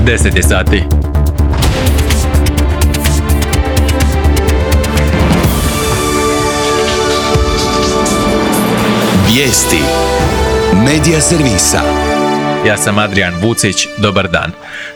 10 je sati. Vijesti Medija servisa. Ja sam Adrian Vucić, dobar dan.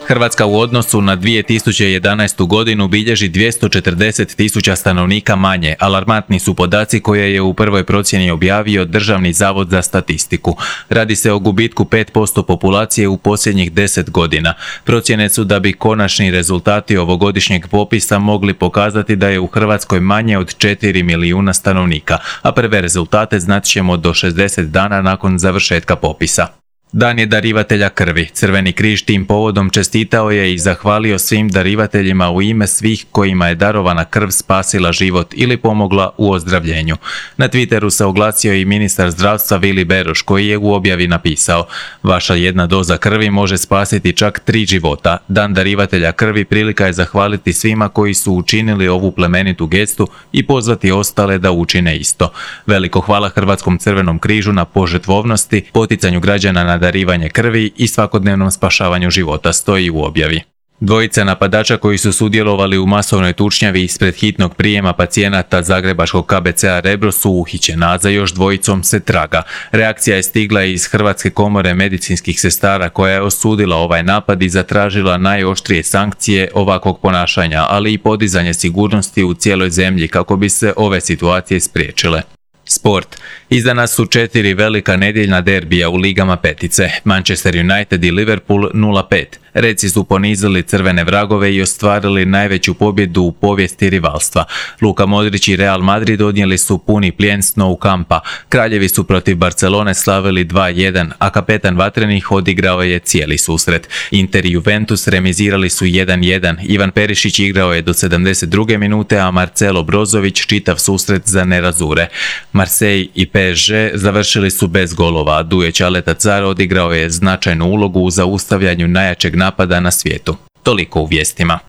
Hrvatska u odnosu na 2011. godinu bilježi 240.000 stanovnika manje. Alarmantni su podaci koje je u prvoj procjeni objavio Državni zavod za statistiku. Radi se o gubitku 5% populacije u posljednjih 10 godina. Procjene su da bi konačni rezultati ovogodišnjeg popisa mogli pokazati da je u Hrvatskoj manje od 4 milijuna stanovnika, a prve rezultate znat ćemo do 60 dana nakon završetka popisa. Dan je darivatelja krvi. Crveni križ tim povodom čestitao je i zahvalio svim darivateljima u ime svih kojima je darovana krv spasila život ili pomogla u ozdravljenju. Na Twitteru se oglasio i ministar zdravstva Vili Beroš, koji je u objavi napisao: "Vaša jedna doza krvi može spasiti čak 3 života. Dan darivatelja krvi prilika je zahvaliti svima koji su učinili ovu plemenitu gestu i pozvati ostale da učine isto. Veliko hvala Hrvatskom crvenom križu na požrtvovnosti, poticanju građana na darivanje krvi i svakodnevnom spašavanju života", stoji u objavi. Dvojica napadača koji su sudjelovali u masovnoj tučnjavi ispred hitnog prijema pacijenata zagrebačkog KBC-a Rebro su uhićena, a za još dvojicom se traga. Reakcija je stigla iz Hrvatske komore medicinskih sestara, koja je osudila ovaj napad i zatražila najoštrije sankcije ovakvog ponašanja, ali i podizanje sigurnosti u cijeloj zemlji kako bi se ove situacije spriječile. Sport. Izdana su 4 velika nedjeljna derbija u ligama petice. Manchester United i Liverpool 0-5. Reci su ponizili crvene vragove i ostvarili najveću pobjedu u povijesti rivalstva. Luka Modrić i Real Madrid odnijeli su puni plijen s Nou Campa. Kraljevi su protiv Barcelone slavili 2-1, a kapetan vatrenih odigrao je cijeli susret. Inter i Juventus remizirali su 1-1. Ivan Perišić igrao je do 72. minute, a Marcelo Brozović čitav susret za nerazure. Marseille i PSG završili su bez golova, a Duje Ćaleta Car odigrao je značajnu ulogu u zaustavljanju najjačeg napada na svijetu. Toliko u vijestima.